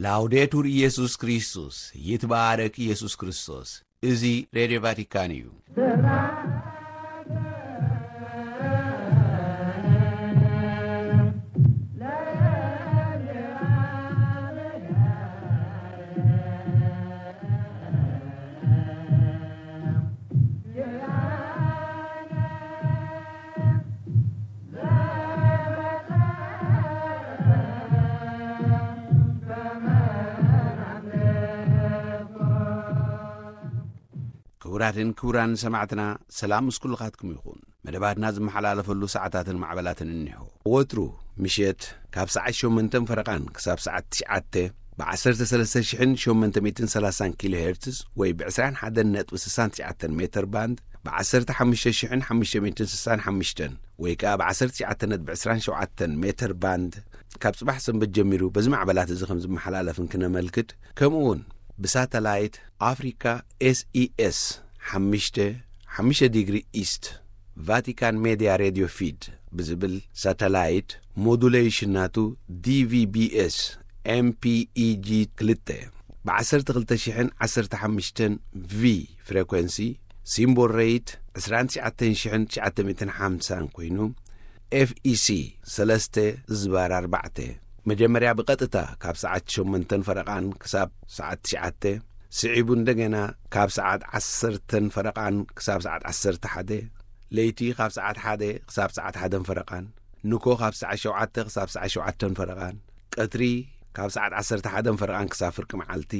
ላውዴቱር ኢየሱስ ክርስቶስ፣ ይትባረክ ኢየሱስ ክርስቶስ። እዚ ሬድዮ ቫቲካን እዩ። ክቡራትን ክቡራን ሰማዕትና፣ ሰላም ምስ ኩልኻትኩም ይኹን። መደባትና ዝመሓላለፈሉ ሰዓታትን ማዕበላትን እኒሆ። ወትሩ ምሸት ካብ ሰዓት ሸሞንተን ፈረቓን ክሳብ ሰዓት ትሽዓተ ብ ዓሰርተ ሰለስተ ሽሕን ሸሞንተ ሚእትን ሰላሳን ኪሎ ሄርትዝ ወይ ብ ዕስራን ሓደን ነጥቢ ስሳን ትሽዓተን ሜተር ባንድ፣ ብ ዓሰርተ ሓሙሽተ ሽሕን ሓሙሽተ ሚእትን ስሳን ሓሙሽተን ወይ ከኣ ብ ዓሰርተ ትሽዓተ ነጥቢ ዕስራን ሸውዓተን ሜተር ባንድ፣ ካብ ጽባሕ ሰንበት ጀሚሩ በዚ ማዕበላት እዚ ከም ዝመሓላለፍን ክነመልክት፣ ከምኡ እውን ብሳተላይት ኣፍሪካ ኤስኢኤስ ሓሙሽተ፣ ሓሙሽተ ዲግሪ ኢስት፣ ቫቲካን ሜድያ ሬድዮ ፊድ ብዝብል ሳተላይት፣ ሞዱሌሽን ናቱ ዲቪቢኤስ ኤምፒኢጂ ክልተ፣ ብ ዓሰርተ ክልተ ሽሕን ዓሰርተ ሓሙሽተን ቪ ፍሬኮንሲ፣ ሲምቦል ሬት ዕስራን ትሽዓተን ሽሕን ትሽዓተ ሚእትን ሓምሳን ኮይኑ፣ ኤፍኢሲ ሰለስተ ዝባር ኣርባዕተ፣ መጀመርያ ብቐጥታ ካብ ሰዓት ሸሞንተን ፈረቓን ክሳብ ሰዓት ትሽዓተ፣ ስዒቡ እንደገና ካብ ሰዓት ዓሰርተን ፈረቓን ክሳብ ሰዓት ዓሰርተ ሓደ፣ ለይቲ ካብ ሰዓት ሓደ ክሳብ ሰዓት ሓደን ፈረቓን፣ ንኮ ካብ ሰዓት ሸውዓተ ክሳብ ሰዓት ሸውዓተን ፈረቓን፣ ቀትሪ ካብ ሰዓት ዓሰርተ ሓደን ፈረቓን ክሳብ ፍርቂ መዓልቲ፣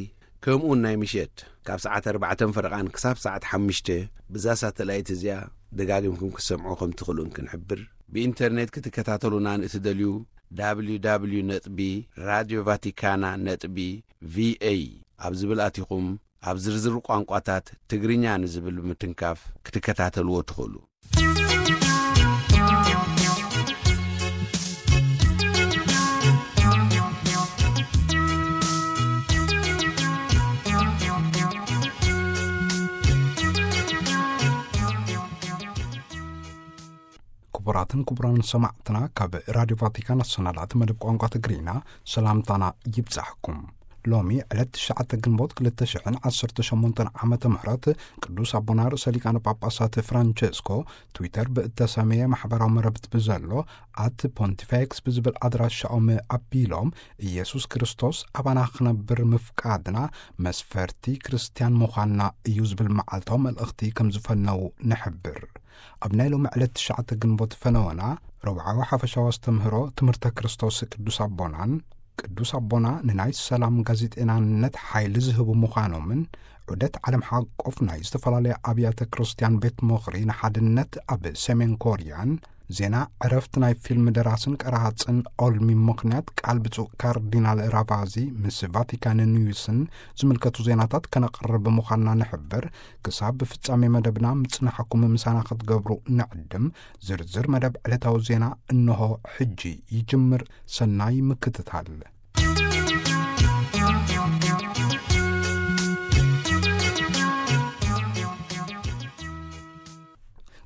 ከምኡውን ናይ ምሸት ካብ ሰዓት ኣርባዕተን ፈረቓን ክሳብ ሰዓት ሓሙሽተ፣ ብዛ ሳተላይት እዚኣ ደጋጊምኩም ክትሰምዑ ከም ትኽእሉን ክንሕብር። ብኢንተርኔት ክትከታተሉና ንእትደልዩ፣ www ነጥቢ ራድዮ ቫቲካና ነጥቢ ቪኤ ኣብ ዝብል ኣቲኹም፣ ኣብ ዝርዝር ቋንቋታት ትግርኛ ንዝብል ብምትንካፍ ክትከታተልዎ ትኽእሉ። ክቡራትን ክቡራን ሰማዕትና፣ ካብ ራድዮ ቫቲካን ኣሰናዳእቲ መደብ ቋንቋ ትግርኛ ሰላምታና ይብጻሕኩም። ሎሚ ዕለት ትሽዓተ ግንቦት ክልተ ሽሕን ዓሰርተ ሸሞንተን ዓመተ ምህረት ቅዱስ ኣቦና ርእሰ ሊቃነ ጳጳሳት ፍራንቸስኮ ትዊተር ብእተሰመየ ማሕበራዊ መረብት ብዘሎ ኣት ፖንቲፌክስ ብዝብል ኣድራሻኦም ኣቢሎም፣ ኢየሱስ ክርስቶስ ኣባና ክነብር ምፍቃድና መስፈርቲ ክርስትያን ምዃንና እዩ ዝብል መዓልታዊ መልእኽቲ ከም ዝፈነዉ ንሕብር። ኣብ ናይ ሎሚ ዕለት ትሽዓተ ግንቦት ፈነወና፣ ረብዓዊ ሓፈሻዊ ኣስተምህሮ ትምህርተ ክርስቶስ ቅዱስ ኣቦናን፣ ቅዱስ ኣቦና ንናይ ሰላም ጋዜጠናነት ሓይሊ ዝህቡ ምዃኖምን፣ ዑደት ዓለም ሓቆፍ ናይ ዝተፈላለያ ኣብያተ ክርስትያን ቤት ምኽሪ ንሓድነት ኣብ ሰሜን ኮርያን፣ ዜና ዕረፍቲ ናይ ፊልም ደራስን ቀራጽን ኦልሚ ምኽንያት ቃል ብፁዕ ካርዲናል ራቫዚ ምስ ቫቲካን ኒውስን ዝምልከቱ ዜናታት ከነቕርብ ምዃንና ንሕብር። ክሳብ ፍጻሜ መደብና ምጽናሕኩም ምሳና ክትገብሩ ንዕድም። ዝርዝር መደብ ዕለታዊ ዜና እንሆ ሕጂ ይጅምር። ሰናይ ምክትታል።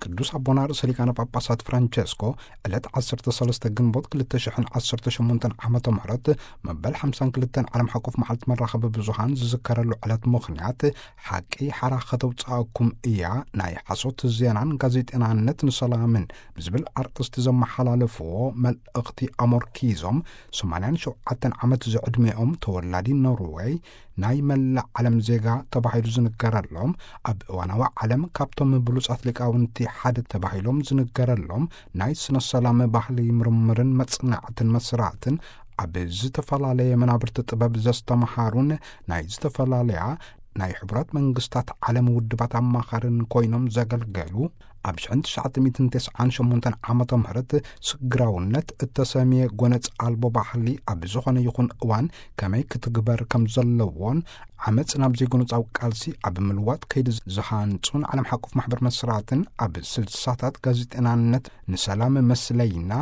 ቅዱስ ኣቦና ርእሰ ሊቃነ ጳጳሳት ፍራንቸስኮ ዕለት ዓሰርተ ሰለስተ ግንቦት ክልተ ሽሕን ዓሰርተ ሸሞንተን ዓመተ ምህረት መበል ሓምሳን ክልተን ዓለም ሓቆፍ መዓልቲ መራኸቢ ብዙሃን ዝዝከረሉ ዕለት ምኽንያት፣ ሓቂ ሓራ ከተውጽኣኩም እያ፣ ናይ ሓሶት ዜናን ጋዜጠናነት ንሰላምን ብዝብል ኣርእስቲ ዘመሓላለፍዎ መልእኽቲ ኣሞርኪዞም፣ ሰማንያን ሸውዓተን ዓመት ዝዕድሜኦም ተወላዲ ኖርወይ፣ ናይ መላእ ዓለም ዜጋ ተባሂሉ ዝንገረሎም፣ ኣብ እዋናዊ ዓለም ካብቶም ብሉጻት ሊቃውንቲ ሓደ ተባሂሎም ዝንገረሎም፣ ናይ ስነ ሰላም ባህሊ ምርምርን መጽናዕትን መስራትን፣ ኣብ ዝተፈላለየ መናብርቲ ጥበብ ዘስተምሃሩን ናይ ዝተፈላለያ ናይ ሕቡራት መንግስታት ዓለም ውድባት ኣማኻርን ኮይኖም ዘገልገሉ፣ ኣብ ሽሕን ትሽዓተ ሚእትን ተስዓን ሸሞንተን ዓመተ ምህረት ስግራውነት እተሰምየ ጎነጽ ኣልቦ ባህሊ ኣብ ዝኾነ ይኹን እዋን ከመይ ክትግበር ከም ዘለዎን፣ ዓመጽ ናብ ዘይጎነጻዊ ቃልሲ ኣብ ምልዋጥ ከይዲ ዝሃንጹን ዓለም ሓቆፍ ማሕበር መስራትን ኣብ ስልሳታት ጋዜጠናነት ንሰላም መስለይና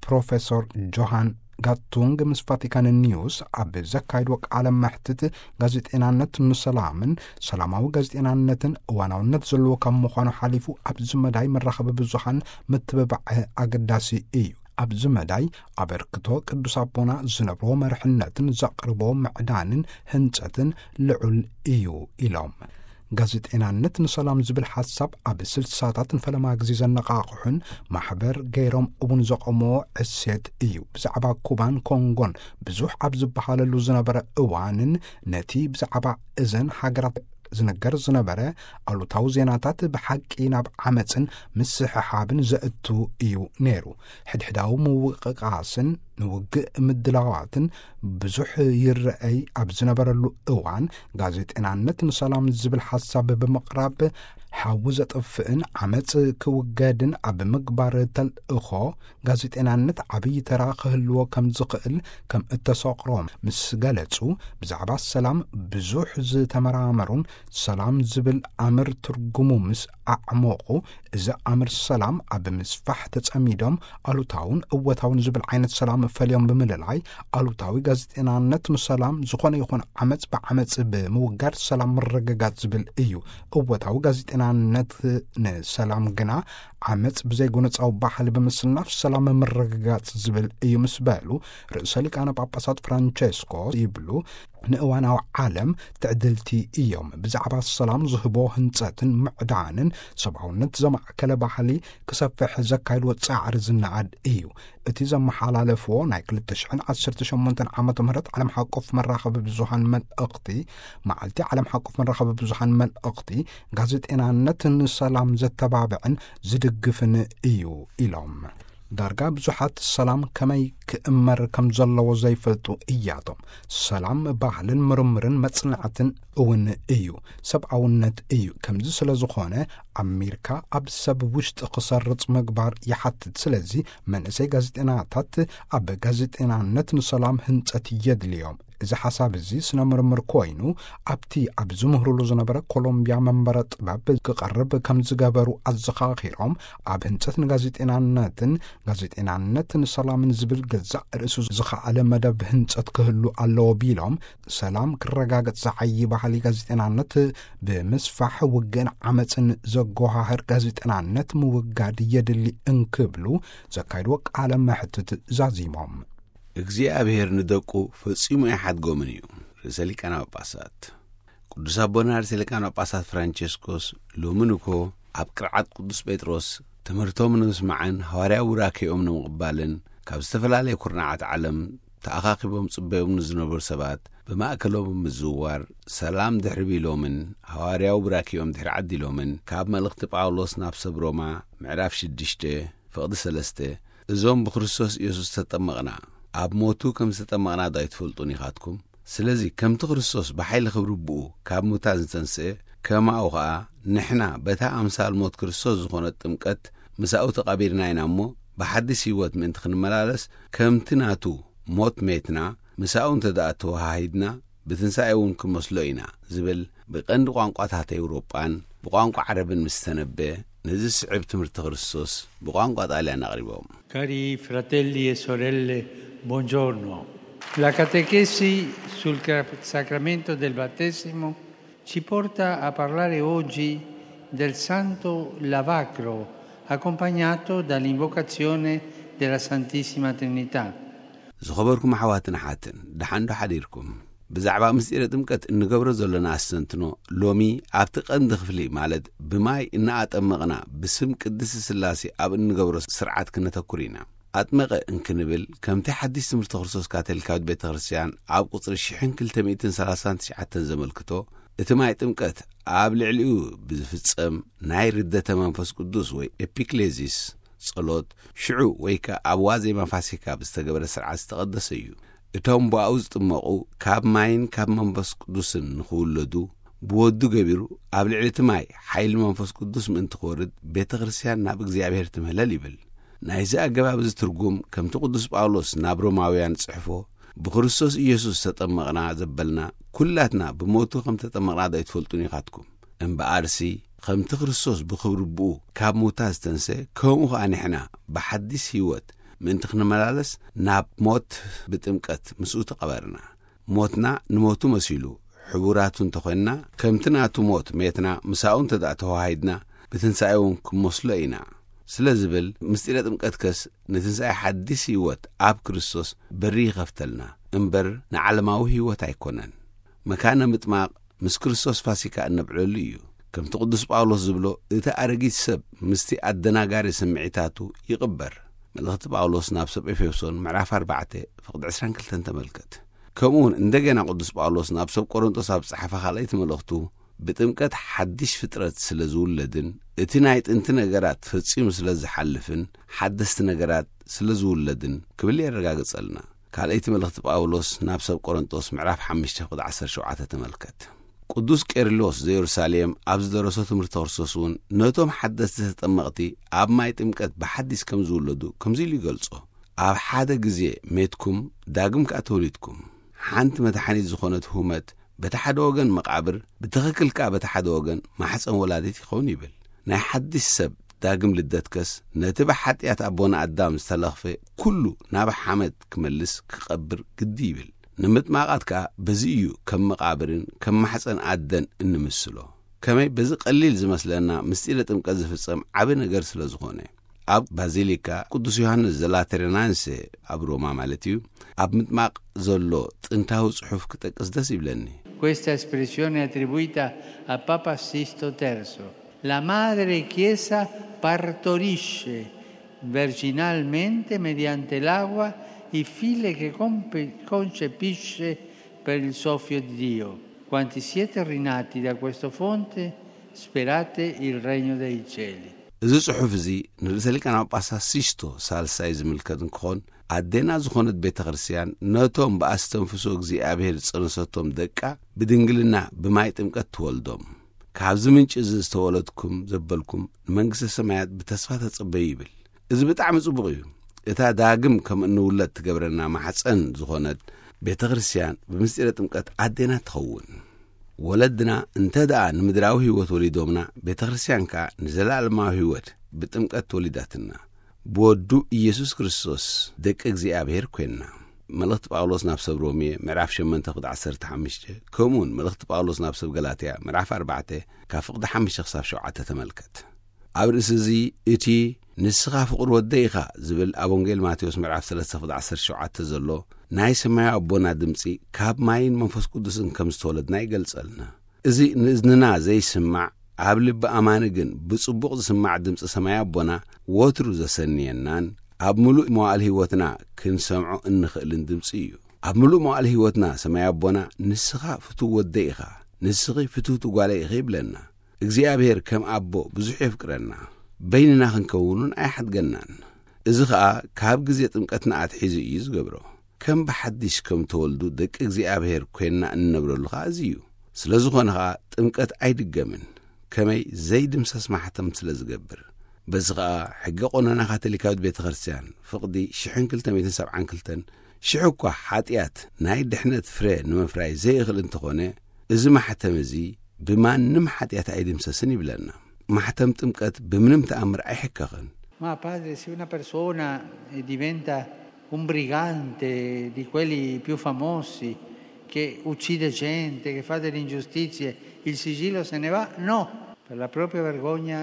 ፕሮፌሰር ጆሃን ጋቱንግ ምስ ቫቲካን ኒውስ ኣብ ዘካየድዎ ቃለ መሕትት፣ ጋዜጠናነት ንሰላምን ሰላማዊ ጋዜጠናነትን እዋናውነት ዘለዎ ካብ ምዃኑ ሓሊፉ ኣብዚ መዳይ መራኸቢ ብዙሃን ምትብባዕ ኣገዳሲ እዩ። ኣብዚ መዳይ ኣበርክቶ ቅዱስ ኣቦና ዝነብሮ መርሕነትን ዘቕርቦ ምዕዳንን ህንጸትን ልዑል እዩ ኢሎም። ጋዜጠናነት ንሰላም ዝብል ሓሳብ ኣብ ስልሳታት ንፈለማ ግዜ ዘነቓቕሑን ማሕበር ገይሮም እውን ዘቐሞ ዕሴት እዩ። ብዛዕባ ኩባን ኮንጎን ብዙሕ ኣብ ዝበሃለሉ ዝነበረ እዋንን ነቲ ብዛዕባ እዘን ሃገራት ዝነገር ዝነበረ ኣሉታዊ ዜናታት ብሓቂ ናብ ዓመፅን ምስሕሓብን ዘእቱ እዩ ነይሩ። ሕድሕዳዊ ምውቅቃስን ንውግእ ምድላዋትን ብዙሕ ይረአይ ኣብ ዝነበረሉ እዋን፣ ጋዜጠናነት ንሰላም ዝብል ሓሳብ ብምቕራብ ሓዊ ዘጥፍእን ዓመፅ ክውገድን ኣብ ምግባር ተልእኾ ጋዜጠናነት ዓብዪ ተራ ክህልዎ ከም ዝኽእል ከም እተሰቕሮ ምስ ገለጹ፣ ብዛዕባ ሰላም ብዙሕ ዝተመራመሩን ሰላም ዝብል ኣምር ትርጉሙ ምስ ኣዕሞቑ፣ እዚ ኣምር ሰላም ኣብ ምስፋሕ ተጸሚዶም ኣሉታውን እወታውን ዝብል ዓይነት ሰላም ፈልዮም ብምልላይ፣ ኣሉታዊ ጋዜጠናነት ንሰላም ዝኾነ ይኹን ዓመጽ ብዓመጽ ብምውጋድ ሰላም ምርግጋጽ ዝብል እዩ። እወታዊ ጋዜጠናነት ንሰላም ግና ዓመጽ ብዘይጎነጻዊ ባህሊ ብምስናፍ ሰላም ምርግጋጽ ዝብል እዩ ምስ በሉ፣ ርእሰ ሊቃነ ጳጳሳት ፍራንቸስኮ ይብሉ፣ ንእዋናዊ ዓለም ትዕድልቲ እዮም። ብዛዕባ ሰላም ዝህቦ ህንጸትን ምዕዳንን ሰብኣውነት ዘማእከለ ባህሊ ክሰፍሕ ዘካይድዎ ጻዕሪ ዝነኣድ እዩ። እቲ ዘመሓላለፍዎ ናይ ክልተ ሽሕን ዓሰርተ ሸሞንተን ዓመተ ምህረት ዓለም ሓቆፍ መራኸቢ ብዙሃን መልእኽቲ፣ መዓልቲ ዓለም ሓቆፍ መራኸቢ ብዙሃን መልእኽቲ፣ ጋዜጠናነት ንሰላም ዘተባብዕን ዝድግፍን እዩ ኢሎም። ዳርጋ ብዙሓት ሰላም ከመይ ክእመር ከም ዘለዎ ዘይፈልጡ እያቶም። ሰላም ባህልን ምርምርን መጽናዕትን እውን እዩ፣ ሰብኣውነት እዩ። ከምዚ ስለ ዝኾነ ኣሚርካ ኣብ ሰብ ውሽጢ ክሰርጽ ምግባር ይሓትት። ስለዚ መንእሰይ ጋዜጠናታት ኣብ ጋዜጠናነት ንሰላም ህንጸት የድልዮም። እዚ ሓሳብ እዚ ስነ ምርምር ኮይኑ ኣብቲ ኣብ ዝምህርሉ ዝነበረ ኮሎምቢያ መንበረ ጥበብ ክቐርብ ከም ዝገበሩ ኣዘኻኺሮም፣ ኣብ ህንጸት ንጋዜጠናነትን ጋዜጠናነት ንሰላምን ዝብል ገዛእ ርእሱ ዝኸኣለ መደብ ህንጸት ክህሉ ኣለዎ ቢሎም፣ ሰላም ክረጋገጽ ዝዓዪ ባህሊ ጋዜጠናነት ብምስፋሕ ውግእን ዓመጽን ዘጎሃህር ጋዜጠናነት ምውጋድ የድሊ እንክብሉ ዘካይድዎ ቃለ መሕትት ዛዚሞም። እግዚኣብሔር ንደቁ ፈጺሙ ኣይሓድጎምን እዩ። ርእሰ ሊቃነ ጳጳሳት ቅዱስ ኣቦና ርእሰ ሊቃነ ጳጳሳት ፍራንቸስኮስ ሎምን እኮ ኣብ ቅርዓት ቅዱስ ጴጥሮስ ትምህርቶም ንምስማዕን ሃዋርያዊ ቡራኬኦም ንምቕባልን ካብ ዝተፈላለየ ኩርናዓት ዓለም ተኣኻኺቦም ጽበዮም ንዝነበሩ ሰባት ብማእከሎም ብምዝውዋር ሰላም ድሕሪ ቢሎምን ሃዋርያዊ ቡራኬኦም ድሕሪ ዓዲሎምን ካብ መልእኽቲ ጳውሎስ ናብ ሰብ ሮማ ምዕራፍ ሽዱሽተ ፍቕዲ ሰለስተ እዞም ብክርስቶስ ኢየሱስ ተጠመቕና ኣብ ሞቱ ከም ዝተጠመቕና ዶ ኣይትፈልጡን ኢኻትኩም? ስለዚ ከምቲ ክርስቶስ ብሓይሊ ክብሪ ብኡ ካብ ሙታን ዝተንስአ ከማኡ ኸኣ ንሕና በታ ኣምሳል ሞት ክርስቶስ ዝኾነት ጥምቀት ምሳኡ ተቓቢርና ኢና እሞ ብሓድሽ ህይወት ምእንቲ ክንመላለስ ከምቲ ናቱ ሞት ሜትና ምሳኡ እንተ ደኣ ተወሃሂድና ብትንሳኤ እውን ክንመስሎ ኢና ዝብል ብቐንዲ ቋንቋታት ኤውሮጳን ብቋንቋ ዓረብን ምስ ተነበየ ነዚ ዝስዕብ ትምህርቲ ክርስቶስ ብቋንቋ ጣልያን ኣቕሪቦም። Cari fratelli e sorelle, buongiorno. La catechesi sul cra- sacramento del battesimo ci porta a parlare oggi del santo lavacro, accompagnato dall'invocazione della Santissima Trinità. ዝኸበርኩም ኣሕዋትን ኣሓትን፣ ደሓን ዶ ሓዲርኩም? ብዛዕባ ምስጢረ ጥምቀት እንገብሮ ዘለና ኣስተንትኖ፣ ሎሚ ኣብቲ ቀንዲ ክፍሊ፣ ማለት ብማይ እናኣጠመቕና ብስም ቅድስቲ ስላሴ ኣብ እንገብሮ ስርዓት ክነተኩር ኢና። ኣጥመቐ እንክንብል፣ ከምቲ ሓድሽ ትምህርቲ ክርስቶስ ካቶሊካዊት ቤተ ክርስቲያን ኣብ ቁጽሪ ሽሕን ክልተ ሚእትን ሰላሳን ትሽዓተን ዘመልክቶ፣ እቲ ማይ ጥምቀት ኣብ ልዕሊኡ ብዝፍጸም ናይ ርደተ መንፈስ ቅዱስ ወይ ኤፒክሌዚስ ጸሎት፣ ሽዑ ወይ ከኣ ኣብ ዋዜማ ፋሲካ ብዝተገበረ ስርዓት ዝተቐደሰ እዩ። እቶም ብኣኡ ዝጥመቑ ካብ ማይን ካብ መንፈስ ቅዱስን ንኽውለዱ ብወዱ ገቢሩ ኣብ ልዕሊ እቲ ማይ ሓይሊ መንፈስ ቅዱስ ምእንቲ ክወርድ ቤተ ክርስቲያን ናብ እግዚኣብሔር ትምህለል ይብል። ናይዚ ኣገባብ እዚ ትርጉም ከምቲ ቅዱስ ጳውሎስ ናብ ሮማውያን ጽሕፎ ብክርስቶስ ኢየሱስ ተጠመቕና ዘበልና ኩላትና ብሞቱ ከም ተጠመቕና ዶ ኣይትፈልጡን ኢኻትኩም? እምበኣርሲ ከምቲ ክርስቶስ ብኽብሪ ብኡ ካብ ምውታት ዝተንሰ ከምኡ ኸኣ ንሕና ብሓዲስ ህይወት ምእንቲ ክንመላለስ ናብ ሞት ብጥምቀት ምስኡ ተቐበርና። ሞትና ንሞቱ መሲሉ ሕቡራቱ እንተኾንና ከምቲ ናቱ ሞት ሜትና ምሳኡ እንተ ደኣ ተዋሃሂድና ብትንሳኤ እውን ክንመስሎ ኢና። ስለ ዝብል፣ ምስጢረ ጥምቀት ከስ ንትንሳኤ ሓድሽ ህይወት ኣብ ክርስቶስ በሪ ይኸፍተልና እምበር ንዓለማዊ ህይወት ኣይኮነን። መካነ ምጥማቕ ምስ ክርስቶስ ፋሲካ እነብዕለሉ እዩ። ከምቲ ቅዱስ ጳውሎስ ዝብሎ፣ እቲ ኣረጊት ሰብ ምስቲ ኣደናጋሪ ስምዒታቱ ይቕበር። መልእኽቲ ጳውሎስ ናብ ሰብ ኤፌሶን ምዕራፍ ኣርባዕተ ፍቕዲ ዕስራን ክልተን ተመልከት። ከምኡውን እንደገና ቅዱስ ጳውሎስ ናብ ሰብ ቆሮንቶስ ኣብ ዝጸሓፈ ካልኣይቲ መልእኽቱ፣ ብጥምቀት ሓድሽ ፍጥረት ስለ ዝውለድን እቲ ናይ ጥንቲ ነገራት ፈጺሙ ስለ ዝሓልፍን ሓደስቲ ነገራት ስለ ዝውለድን ክብል የረጋግጸልና። ካልኣይቲ መልእኽቲ ጳውሎስ ናብ ሰብ ቆሮንቶስ ምዕራፍ ሓሙሽተ ፍቕዲ ዓሰርተ ሸውዓተ ተመልከት። ቅዱስ ቄርሎስ ዘየሩሳሌም ኣብ ዝደረሶ ትምህርቲ ክርስቶስ እውን ነቶም ሓደስቲ ተጠመቕቲ ኣብ ማይ ጥምቀት ብሓዲስ ከም ዝውለዱ ከምዚ ኢሉ ይገልጾ። ኣብ ሓደ ግዜ ሜትኩም ዳግም ከኣ ተወሊድኩም። ሓንቲ መድሓኒት ዝኾነት ሁመት በቲ ሓደ ወገን መቓብር፣ ብትኽክል ከኣ በቲ ሓደ ወገን ማሕፀን ወላዲት ይኸውን ይብል። ናይ ሓድሽ ሰብ ዳግም ልደት ከስ ነቲ ብሓጢኣት ኣቦና ኣዳም ዝተለኽፈ ኩሉ ናብ ሓመድ ክመልስ ክቐብር ግዲ ይብል። ንምጥማቓት ከኣ በዚ እዩ ከም መቓብርን ከም ማሕፀን ኣደን እንምስሎ። ከመይ በዚ ቀሊል ዝመስለና ምስጢረ ጥምቀት ዝፍጸም ዓቢ ነገር ስለ ዝኾነ። ኣብ ባዚሊካ ቅዱስ ዮሃንስ ዘላተረናንሴ ኣብ ሮማ ማለት እዩ፣ ኣብ ምጥማቕ ዘሎ ጥንታዊ ጽሑፍ ክጠቅስ ደስ ይብለኒ። Questa espressione è attribuita a Papa Sisto terzo. La madre Chiesa partorisce virginalmente mediante l'acqua il figlio che compe- concepisce per il soffio di Dio. Quanti siete rinati da questa fonte, sperate il regno dei cieli. እዚ ጽሑፍ እዚ ንርእሰ ሊቃነ ጳጳሳት ሲስቶ ሳልሳይ ዝምልከት እንክኾን፣ ኣዴና ዝኾነት ቤተ ክርስቲያን ነቶም ብኣስተንፍሶ እግዚኣብሔር ዝጸነሰቶም ደቃ ብድንግልና ብማይ ጥምቀት ትወልዶም። ካብዚ ምንጪ እዚ ዝተወለድኩም ዘበልኩም ንመንግስተ ሰማያት ብተስፋ ተጸበዩ ይብል። እዚ ብጣዕሚ ጽቡቕ እዩ። እታ ዳግም ከም እንውለድ ትገብረና ማሕፀን ዝኾነት ቤተ ክርስቲያን ብምስጢረ ጥምቀት ኣዴና ትኸውን። ወለድና እንተ ደኣ ንምድራዊ ህይወት ወሊዶምና፣ ቤተ ክርስቲያን ከኣ ንዘለኣለማዊ ህይወት ብጥምቀት ተወሊዳትና። ብወዱ ኢየሱስ ክርስቶስ ደቂ እግዚኣብሔር ኮይንና። መልእኽቲ ጳውሎስ ናብ ሰብ ሮሜ ምዕራፍ ሸሞንተ ፍቕዲ ዓሰርተ ሓሙሽተ፣ ከምኡውን መልእኽቲ ጳውሎስ ናብ ሰብ ገላትያ ምዕራፍ ኣርባዕተ ካብ ፍቕዲ ሓሙሽተ ክሳብ ሸውዓተ ተመልከት። ኣብ ርእሲ እዚ፣ እቲ "ንስኻ ፍቕሪ ወደይ ኢኻ" ዝብል ኣብ ወንጌል ማቴዎስ ምዕራፍ ሰለስተ ፍቕዲ ዓሰርተ ሸውዓተ ዘሎ ናይ ሰማያዊ ኣቦና ድምጺ ካብ ማይን መንፈስ ቅዱስን ከም ዝተወለድና ይገልጸልና። እዚ ንእዝንና ዘይስማዕ፣ ኣብ ልቢ ኣማኒ ግን ብጽቡቕ ዝስማዕ ድምጺ ሰማያዊ ኣቦና ወትሩ ዘሰንየናን ኣብ ምሉእ መዋእል ህይወትና ክንሰምዖ እንኽእልን ድምጺ እዩ። ኣብ ምሉእ መዋእል ህይወትና ሰማያዊ ኣቦና "ንስኻ ፍቱው ወደይ ኢኻ፣ ንስኺ ፍትውቲ ጓለይ ኢኺ" ይብለና። እግዚኣብሔር ከም ኣቦ ብዙሕ የፍቅረና። በይንና ክንከውን እውን ኣይሓድገናን። እዚ ኸኣ ካብ ግዜ ጥምቀትና ኣትሒዙ እዩ ዝገብሮ። ከም ብሓድሽ ከም ተወልዱ ደቂ እግዚኣብሔር ኮይንና እንነብረሉ ኸኣ እዚ እዩ። ስለ ዝኾነ ኸኣ ጥምቀት ኣይድገምን፣ ከመይ ዘይድምሰስ ማሕተም ስለ ዝገብር። በዚ ኸኣ ሕገ ቆነና ካቶሊካዊት ቤተ ክርስቲያን ፍቕዲ ሽሕን ክልተ ሚእትን ሰብዓን ክልተን፣ ሽሕ እኳ ሓጢኣት ናይ ድሕነት ፍረ ንምፍራይ ዘይእኽል እንተኾነ፣ እዚ ማሕተም እዚ ብማንም ሓጢኣት ኣይድምሰስን ይብለና። ማሕተም ጥምቀት ብምንም ተኣምር ኣይሕከኽን። Ma padre, se una persona eh, diventa un brigante di quelli più famosi, che uccide gente, che fa delle ingiustizie, il sigillo se ne va? No, per la propria vergogna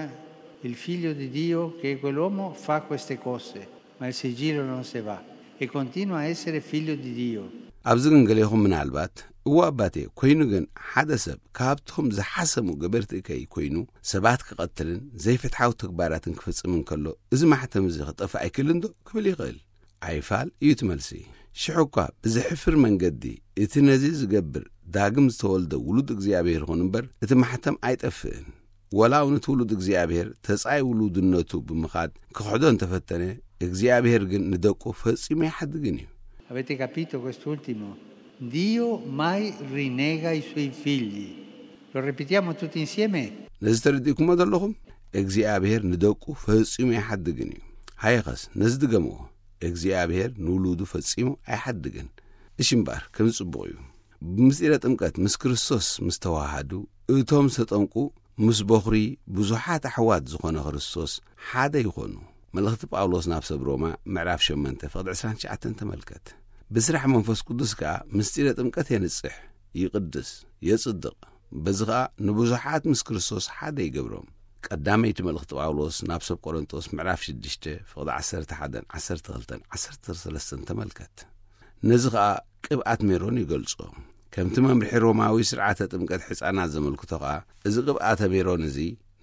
il figlio di Dio, che è quell'uomo, fa queste cose, ma il sigillo non se va e continua a essere figlio di Dio. ኣብዚ ግን ገሌኹም ምናልባት፣ "እዎ ኣባቴ፣ ኮይኑ ግን ሓደ ሰብ ካብቶም ዝሓሰሙ ገበርቲ እከይ ኮይኑ ሰባት ክቐትልን ዘይፍትሓዊ ተግባራትን ክፍጽም እንከሎ፣ እዚ ማሕተም እዚ ክጠፍእ ኣይክእልን ዶ?" ክብል ይኽእል። ኣይፋል እዩ እቲ መልሲ። ሽሕ እኳ ብዘሕፍር መንገዲ እቲ ነዚ ዝገብር ዳግም ዝተወልደ ውሉድ እግዚኣብሔር ይኹን እምበር፣ እቲ ማሕተም ኣይጠፍእን። ወላ እውን እቲ ውሉድ እግዚኣብሔር ተጻይ ውሉድነቱ ብምኻድ ክኽሕዶ እንተፈተነ፣ እግዚኣብሔር ግን ንደቁ ፈጺሙ ኣይሓድግን እዩ። Avete capito quest'ultimo? Dio mai rinnega i suoi figli. Lo ripetiamo tutti insieme? ነዚ ተረዲእኩሞ ዘለኹም? እግዚኣብሔር ንደቁ ፈጺሙ ኣይሓድግን እዩ። ሃየኸስ ነዚ ድገምዎ። እግዚኣብሔር ንውሉዱ ፈጺሙ ኣይሓድግን። እሺ እምበኣር፣ ከምዚ ጽቡቕ እዩ። ብምስጢረ ጥምቀት ምስ ክርስቶስ ምስ ተዋሃዱ፣ እቶም ዝተጠምቁ ምስ በኹሪ ብዙሓት ኣሕዋት ዝኾነ ክርስቶስ ሓደ ይኾኑ። መልእኽቲ ጳውሎስ ናብ ሰብ ሮማ ምዕራፍ ሸሞንተ ፍቕዲ ዕስራን ትሽዓተን ተመልከት። ብስራሕ መንፈስ ቅዱስ ከኣ ምስጢረ ጥምቀት የንጽሕ፣ ይቕድስ፣ የጽድቕ። በዚ ኸኣ ንብዙሓት ምስ ክርስቶስ ሓደ ይገብሮም። ቀዳመይቲ መልእኽቲ ጳውሎስ ናብ ሰብ ቆሮንጦስ ምዕራፍ ሽዱሽተ ፍቕዲ ዓሰርተ ሓደን ዓሰርተ ክልተን ዓሰርተ ሰለስተን ተመልከት። ነዚ ኸኣ ቅብኣት ሜሮን ይገልጾ። ከምቲ መምርሒ ሮማዊ ስርዓተ ጥምቀት ሕፃናት ዘመልክቶ ኸኣ፣ እዚ ቅብኣተ ሜሮን እዚ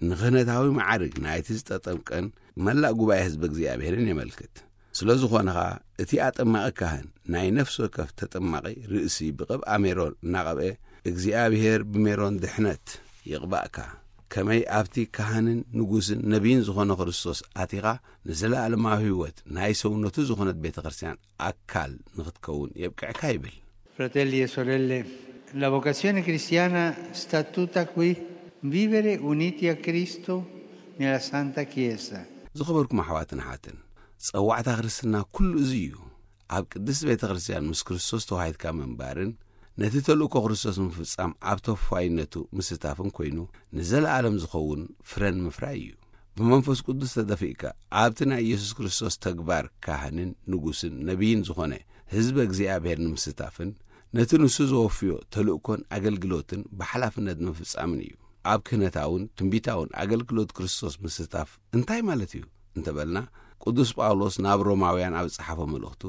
ንኽህነታዊ መዓርግ ናይቲ ዝተጠምቀን መላእ ጉባኤ ህዝቢ እግዚኣብሔርን የመልክት። ስለ ዝኾነ ኸኣ፣ እቲ ኣጠማቒ ካህን ናይ ነፍሲ ወከፍ ተጠማቒ ርእሲ ብቕብኣ ሜሮን እናቐብአ፣ እግዚኣብሔር ብሜሮን ድሕነት ይቕባእካ። ከመይ ኣብቲ ካህንን ንጉስን ነቢይን ዝኾነ ክርስቶስ ኣቲኻ፣ ንዘለኣለማዊ ህይወት ናይ ሰውነቱ ዝኾነት ቤተ ክርስቲያን ኣካል ንኽትከውን የብቅዕካ ይብል። Fratelli e sorelle, la vocazione cristiana sta tutta qui, vivere uniti a Cristo nella Santa Chiesa. ዝኸበርኩም ኣሕዋትን ኣሓትን፣ ጸዋዕታ ክርስትና ኩሉ እዚ እዩ። ኣብ ቅድስቲ ቤተ ክርስቲያን ምስ ክርስቶስ ተዋሂድካ ምንባርን ነቲ ተልእኮ ክርስቶስ ምፍጻም ኣብ ተወፋይነቱ ምስታፍን ኮይኑ ንዘለኣለም ዝኸውን ፍረን ምፍራይ እዩ። ብመንፈስ ቅዱስ ተደፊእካ ኣብቲ ናይ ኢየሱስ ክርስቶስ ተግባር ካህንን ንጉስን ነቢይን ዝኾነ ህዝበ እግዚኣብሔር ንምስታፍን ነቲ ንሱ ዘወፍዮ ተልእኮን ኣገልግሎትን ብሓላፍነት ንምፍጻምን እዩ። ኣብ ክህነታውን ትንቢታውን ኣገልግሎት ክርስቶስ ምስታፍ እንታይ ማለት እዩ እንተበልና፣ ቅዱስ ጳውሎስ ናብ ሮማውያን ኣብ ዝጸሓፎ መልእኽቱ፣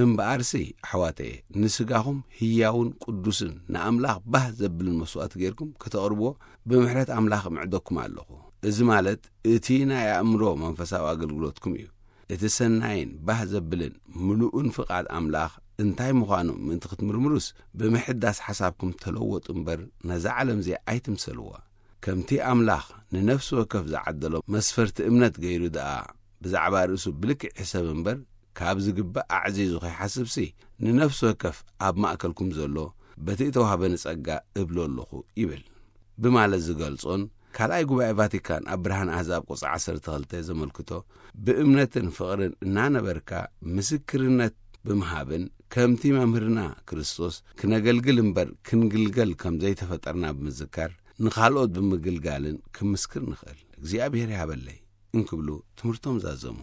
እምበኣርሲ ኣሕዋተየ፣ ንስጋኹም ህያውን ቅዱስን ንኣምላኽ ባህ ዘብልን መስዋእቲ ጌርኩም ከተቕርብዎ ብምሕረት ኣምላኽ እምዕደኩም ኣለኹ። እዚ ማለት እቲ ናይ ኣእምሮ መንፈሳዊ ኣገልግሎትኩም እዩ። እቲ ሰናይን ባህ ዘብልን ምሉእን ፍቓድ ኣምላኽ እንታይ ምዃኑ ምእንቲ ክትምርምሩስ፣ ብምሕዳስ ሓሳብኩም ተለወጡ እምበር፣ ነዛ ዓለም እዚኣ ኣይትምሰልዋ። ከምቲ ኣምላኽ ንነፍሲ ወከፍ ዝዓደሎ መስፈርቲ እምነት ገይሩ ደኣ፣ ብዛዕባ ርእሱ ብልክዕ ይሕሰብ እምበር፣ ካብ ዝግባእ ኣዕዚዙ ከይሓስብሲ፣ ንነፍሲ ወከፍ ኣብ ማእከልኩም ዘሎ በቲ እተዋህበኒ ጸጋ እብሎ ኣለኹ ይብል። ብማለት ዝገልጾን ካልኣይ ጉባኤ ቫቲካን ኣብ ብርሃን ኣህዛብ ቁጽሪ ዓሰርተ ክልተ ዘመልክቶ፣ ብእምነትን ፍቕርን እናነበርካ ምስክርነት ብምሃብን ከምቲ መምህርና ክርስቶስ ክነገልግል እምበር ክንግልገል ከም ዘይተፈጠርና ብምዝካር ንኻልኦት ብምግልጋልን ክምስክር ንኽእል። እግዚኣብሔር ይሃበለይ እንክብሉ ትምህርቶም ዛዘሙ።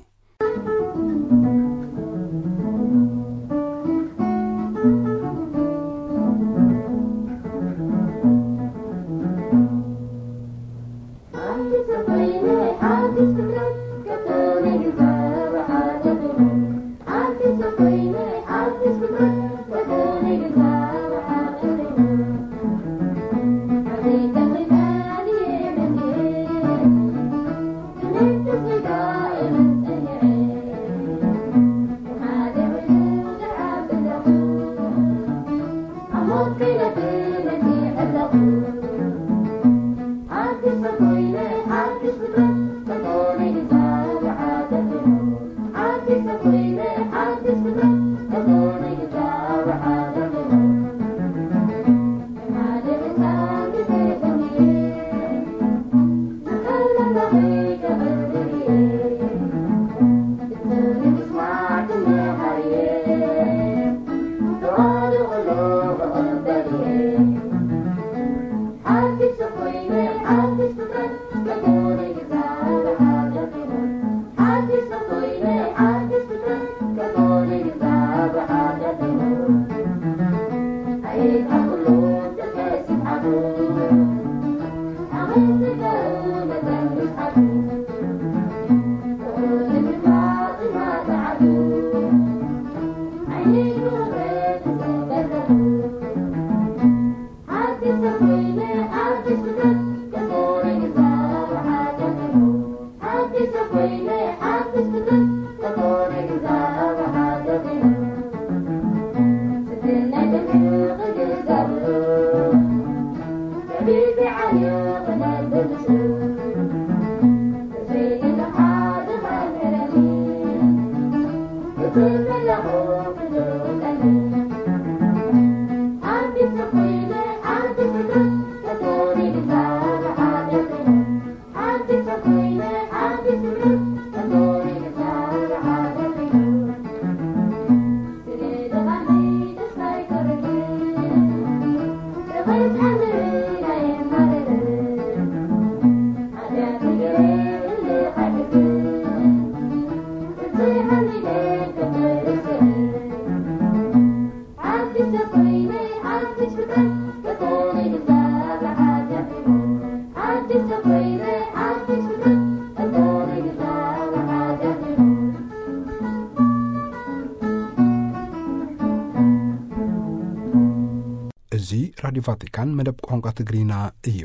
ራዲዮ ቫቲካን መደብ ቋንቋ ትግርኛ እዩ።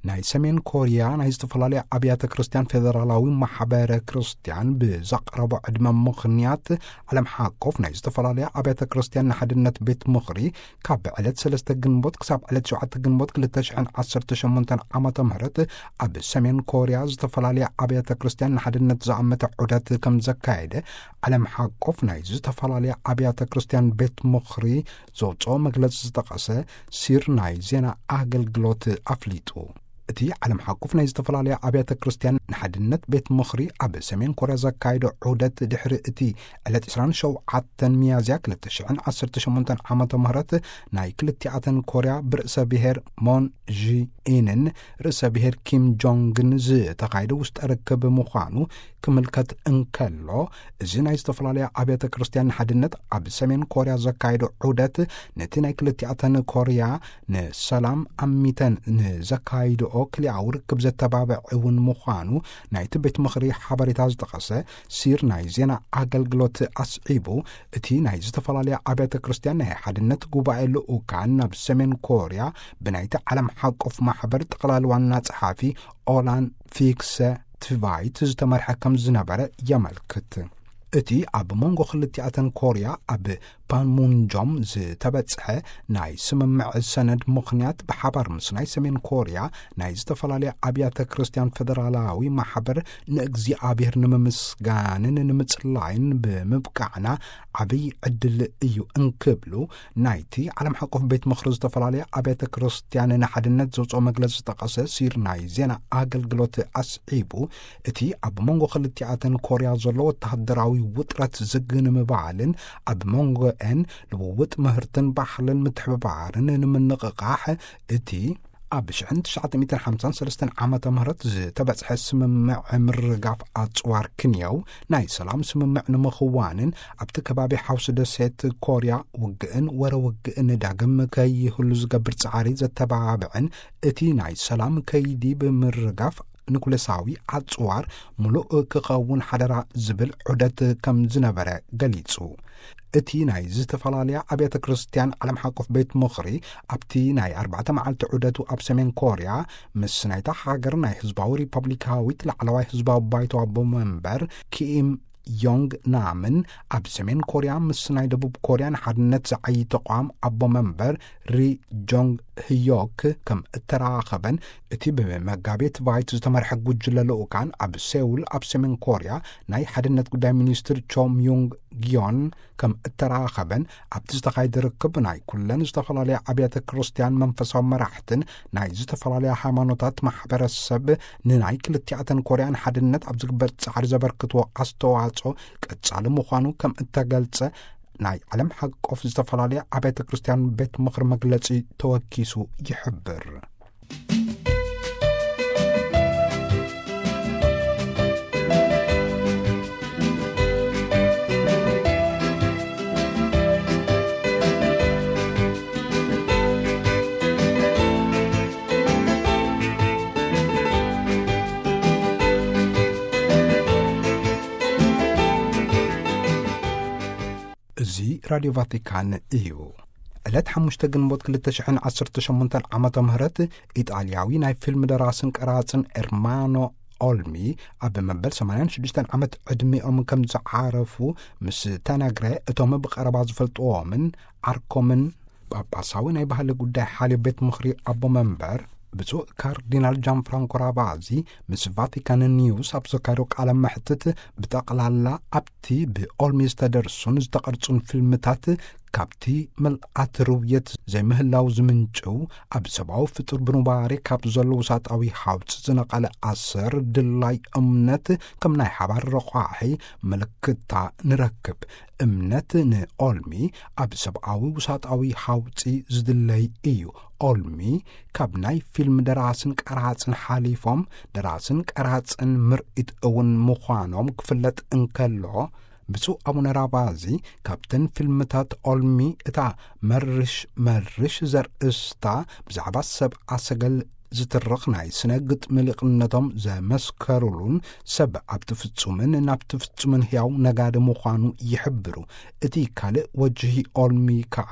ናይ ሰሜን ኮርያ ናይ ዝተፈላለዩ ኣብያተ ክርስቲያን ፌደራላዊ ማሕበረ ክርስቲያን ብዘቕረቦ ዕድመ ምኽንያት፣ ዓለም ሓቆፍ ናይ ዝተፈላለዩ ኣብያተ ክርስቲያን ንሓድነት ቤት ምኽሪ ካብ ዕለት ሰለስተ ግንቦት ክሳብ ዕለት ሸውዓተ ግንቦት ክልተ ሽሕን ዓሰርተ ሸሞንተን ዓመተ ምህረት ኣብ ሰሜን ኮርያ ዝተፈላለዩ ኣብያተ ክርስቲያን ንሓድነት ዝኣመተ ዑደት ከም ዘካየደ፣ ዓለም ሓቆፍ ናይ ዝተፈላለዩ ኣብያተ ክርስቲያን ቤት ምኽሪ ዘውፅኦ መግለፂ ዝጠቐሰ ሲር ናይ ዜና ኣገልግሎት ኣፍሊጡ። እቲ ዓለም ሓቁፍ ናይ ዝተፈላለዩ ኣብያተ ክርስቲያን ንሓድነት ቤት ምኽሪ ኣብ ሰሜን ኮርያ ዘካየዶ ዑደት፣ ድሕሪ እቲ ዕለት ዕስራን ሸውዓተን ሚያዝያ ክልተ ሽሕን ዓሰርተ ሸሞንተን ዓመተ ምህረት ናይ ክልቲኣተን ኮርያ ብርእሰ ብሔር ሞን ዢ ኢንን ርእሰ ብሔር ኪም ጆንግን ዝተኻየደ ውሽጠ ርክብ ምዃኑ ክምልከት እንከሎ፣ እዚ ናይ ዝተፈላለዩ ኣብያተ ክርስቲያን ንሓድነት ኣብ ሰሜን ኮርያ ዘካየዶ ዑደት፣ ነቲ ናይ ክልቲኣተን ኮርያ ንሰላም ኣሚተን ንዘካይድኦ ክልኣዊ ርክብ ዘተባብዕ እውን ምዃኑ ናይቲ ቤት ምኽሪ ሓበሬታ ዝጠቐሰ ሲር ናይ ዜና ኣገልግሎት ኣስዒቡ፣ እቲ ናይ ዝተፈላለዩ ኣብያተ ክርስቲያን ናይ ሓድነት ጉባኤ ልኡካን ናብ ሰሜን ኮርያ ብናይቲ ዓለም ሓቆፍ ማሕበር ጠቕላሊ ዋና ጸሓፊ ኦላን ፊክሰ ትቫይት ዝተመርሐ ከም ዝነበረ የመልክት። እቲ ኣብ መንጎ ክልቲኣተን ኮርያ ኣብ ፓንሙንጆም ዝተበጽሐ ናይ ስምምዕ ሰነድ ምኽንያት፣ ብሓባር ምስ ናይ ሰሜን ኮርያ ናይ ዝተፈላለያ ኣብያተ ክርስቲያን ፌደራላዊ ማሕበር ንእግዚኣብሔር ንምምስጋንን ንምጽላይን ብምብቃዕና ዓብይ ዕድል እዩ እንክብሉ፣ ናይቲ ዓለም ሓቆፍ ቤት ምኽሪ ዝተፈላለያ ኣብያተ ክርስቲያን ንሓድነት ዘውፅኦ መግለፂ ዝጠቐሰ ሲር ናይ ዜና ኣገልግሎት ኣስዒቡ፣ እቲ ኣብ መንጎ ክልቲኣተን ኮርያ ዘሎ ወተሃደራዊ ውጥረት ዝግ ንምባልን ኣብ መንጎአን ልውውጥ ምህርትን ባህልን ምትሕብባርን ንምንቕቓሕ፣ እቲ ኣብ ሽሕን ትሽዓተ ሚእትን ሓምሳን ሰለስተን ዓመተ ምህረት ዝተበጽሐ ስምምዕ ምርጋፍ ኣጽዋር ክንየው ናይ ሰላም ስምምዕ ንምኽዋንን፣ ኣብቲ ከባቢ ሓውሲ ደሴት ኮርያ ውግእን ወረ ውግእን ዳግም ከይህሉ ዝገብር ጻዕሪ ዘተባብዕን፣ እቲ ናይ ሰላም ከይዲ ብምርጋፍ ኑክሌሳዊ ኣጽዋር ምሉእ ክኸውን ሓደራ ዝብል ዑደት ከም ዝነበረ ገሊጹ። እቲ ናይ ዝተፈላለያ ኣብያተ ክርስቲያን ዓለም ሓቆፍ ቤት ምኽሪ፣ ኣብቲ ናይ ኣርባዕተ መዓልቲ ዑደቱ ኣብ ሰሜን ኮርያ፣ ምስ ናይታ ሃገር ናይ ህዝባዊ ሪፐብሊካዊት ላዕለዋይ ህዝባዊ ባይቶ ኣቦ መንበር ኪም ዮንግ ናምን፣ ኣብ ሰሜን ኮርያ ምስ ናይ ደቡብ ኮርያ ንሓድነት ዝዓዪ ተቋም ኣቦ መንበር ሪ ጆንግ ህዮክ ከም እተራኸበን፣ እቲ ብመጋቤት ቫይት ዝተመርሐ ጉጅለ ልኡካን ኣብ ሴውል ኣብ ሰሜን ኮርያ ናይ ሓድነት ጉዳይ ሚኒስትር ቾ ምዩንግ ጊዮን ከም እተራኸበን፣ ኣብቲ ዝተኻየደ ርክብ ናይ ኩለን ዝተፈላለያ ኣብያተ ክርስቲያን መንፈሳዊ መራሕትን ናይ ዝተፈላለያ ሃይማኖታት ማሕበረሰብ ንናይ ክልቲኣተን ኮርያን ሓድነት ኣብ ዝግበር ጻዕሪ ዘበርክትዎ ኣስተዋጽኦ ቀጻሊ ምዃኑ ከም እተገልጸ ናይ ዓለም ሓቆፍ ዝተፈላለያ ኣብያተ ክርስቲያን ቤት ምኽሪ መግለጺ ተወኪሱ ይሕብር። እዚ ራድዮ ቫቲካን እዩ። ዕለት ሓሙሽተ ግንቦት ክልተ ሽሕን ዓሰርተ ሸሞንተን ዓመተ ምህረት፣ ኢጣልያዊ ናይ ፊልም ደራስን ቀራጽን ኤርማኖ ኦልሚ ኣብ መበል ሰማንያን ሽዱሽተን ዓመት ዕድሚኦም ከም ዝዓረፉ ምስ ተነግረ፣ እቶም ብቐረባ ዝፈልጥዎምን ዓርኮምን ጳጳሳዊ ናይ ባህሊ ጉዳይ ሓልዮ ቤት ምኽሪ ኣቦ መንበር ብፁዕ ካርዲናል ጃን ፍራንኮ ራቫዚ ምስ ቫቲካን ኒውስ ኣብ ዘካየዶ ቃለ መሕትት፣ ብጠቕላላ ኣብቲ ብኦልሚ ዝተደርሱን ዝተቐርጹን ፊልምታት፣ ካብቲ ምልኣት ርውየት ዘይምህላው ዝምንጭው፣ ኣብ ሰብኣዊ ፍጡር ብኑባሬ ካብ ዘሎ ውሳጣዊ ሃውጽ ዝነቐለ ኣሰር ድላይ እምነት ከም ናይ ሓባር ረቋሒ ምልክታ ንረክብ። እምነት ንኦልሚ ኣብ ሰብኣዊ ውሳጣዊ ሃውጺ ዝድለይ እዩ። ኦልሚ ካብ ናይ ፊልም ደራስን ቀራጽን ሓሊፎም፣ ደራስን ቀራጽን ምርኢት እውን ምዃኖም ክፍለጥ እንከሎ፣ ብፁዕ ኣቡነ ራቫዚ ካብተን ፊልምታት ኦልሚ እታ መርሽ መርሽ ዘርእስታ፣ ብዛዕባ ሰብኣ ሰገል ዝትርኽ ናይ ስነ ግጥሚ ሊቕነቶም ዘመስከሩሉን፣ ሰብ ኣብቲ ፍጹምን ናብቲ ፍጹምን ህያው ነጋዲ ምዃኑ ይሕብሩ። እቲ ካልእ ወጅሂ ኦልሚ ከኣ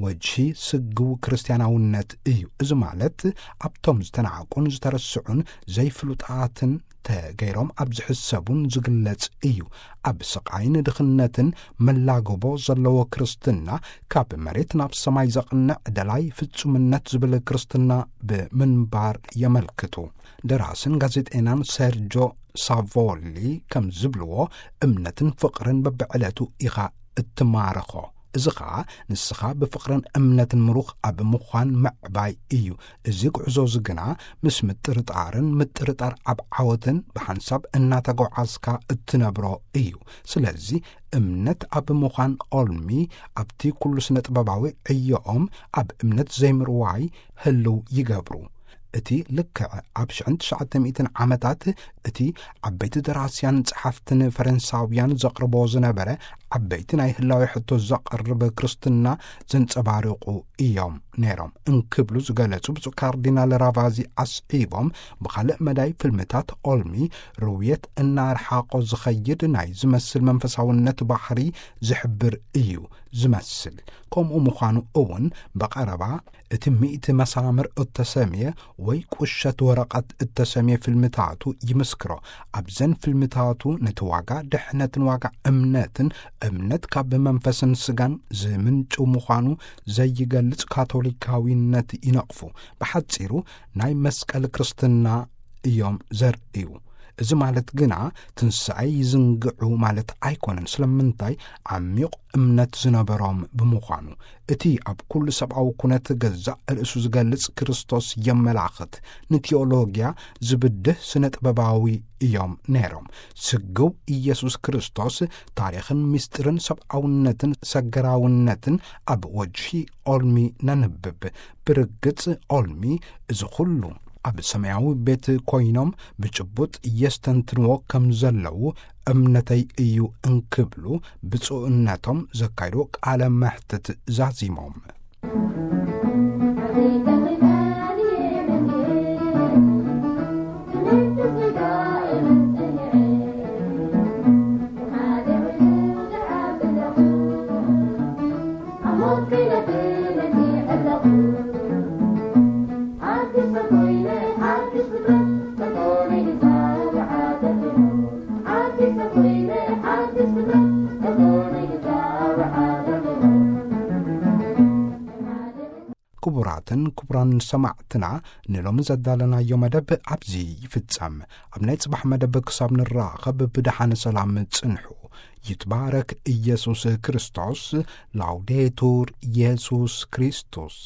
ወጅሂ ስግው ክርስትያናውነት እዩ። እዚ ማለት ኣብቶም ዝተናዕቁን ዝተረስዑን ዘይፍሉጣትን ተገይሮም ኣብ ዝሕሰቡን ዝግለጽ እዩ። ኣብ ስቓይን ድኽነትን መላግቦ ዘለዎ ክርስትና፣ ካብ መሬት ናብ ሰማይ ዘቕንዕ ደላይ ፍጹምነት ዝብል ክርስትና ብምንባር የመልክቱ። ደራስን ጋዜጠኛን ሰርጆ ሳቮሊ ከም ዝብልዎ፣ እምነትን ፍቕርን በብዕለቱ ኢኻ እትማረኾ። እዚ ኸኣ ንስኻ ብፍቕርን እምነትን ምሩኽ ኣብ ምዃን ምዕባይ እዩ። እዚ ጉዕዞ እዚ ግና ምስ ምጥርጣርን ምጥርጣር ኣብ ዓወትን ብሓንሳብ እናተጓዓዝካ እትነብሮ እዩ። ስለዚ እምነት ኣብ ምዃን ኦልሚ ኣብቲ ኩሉ ስነ ጥበባዊ ዕዮኦም ኣብ እምነት ዘይምርዋይ ህልው ይገብሩ። እቲ ልክዕ ኣብ ሽሕን ትሽዓተ ሚእትን ዓመታት እቲ ዓበይቲ ደራስያን ጸሓፍትን ፈረንሳውያን ዘቕርቦ ዝነበረ ዓበይቲ ናይ ህላዌ ሕቶ ዘቕርብ ክርስትና ዘንጸባርቑ እዮም ነይሮም እንክብሉ ዝገለጹ ብፁዕ ካርዲናል ራቫዚ ኣስዒቦም፣ ብኻልእ መዳይ ፍልምታት ኦልሚ ርውየት እናርሓቖ ዝኸይድ ናይ ዝመስል መንፈሳውነት ባህሪ ዝሕብር እዩ ዝመስል። ከምኡ ምዃኑ እውን ብቐረባ እቲ ሚእቲ መሳምር እተሰምየ ወይ ቁሸት ወረቐት እተሰምየ ፊልምታቱ ይምስክሮ። ኣብዘን ፊልምታቱ ነቲ ዋጋ ድሕነትን ዋጋ እምነትን፣ እምነት ካብ መንፈስን ስጋን ዝምንጩ ምዃኑ ዘይገልጽ ካቶሊካዊነት ይነቕፉ። ብሓጺሩ ናይ መስቀል ክርስትና እዮም ዘርእዩ። እዚ ማለት ግና ትንሳኤ ይዝንግዑ ማለት ኣይኮነን። ስለምንታይ? ዓሚቕ እምነት ዝነበሮም ብምዃኑ። እቲ ኣብ ኩሉ ሰብኣዊ ኩነት ገዛእ ርእሱ ዝገልጽ ክርስቶስ የመላኽት። ንቲዮሎጊያ ዝብድህ ስነ ጥበባዊ እዮም ነይሮም። ስግው ኢየሱስ ክርስቶስ ታሪኽን ምስጢርን ሰብኣውነትን ሰገራውነትን ኣብ ወጅሂ ኦልሚ ነንብብ። ብርግጽ ኦልሚ እዚ ኩሉ ኣብ ሰማያዊ ቤት ኮይኖም ብጭቡጥ የስተንትንዎ ከም ዘለዉ እምነተይ እዩ እንክብሉ ብፁዕነቶም ዘካይድዎ ቃለ መሕትት ዛዚሞም። ክቡራትን ክቡራን ሰማዕትና፣ ንሎሚ ዘዳለናዮ መደብ ኣብዚ ይፍጸም። ኣብ ናይ ጽባሕ መደብ ክሳብ ንራኸብ ብደሓን ሰላም ጽንሑ። ይትባረክ ኢየሱስ ክርስቶስ። ላውዴቱር ኢየሱስ ክርስቶስ።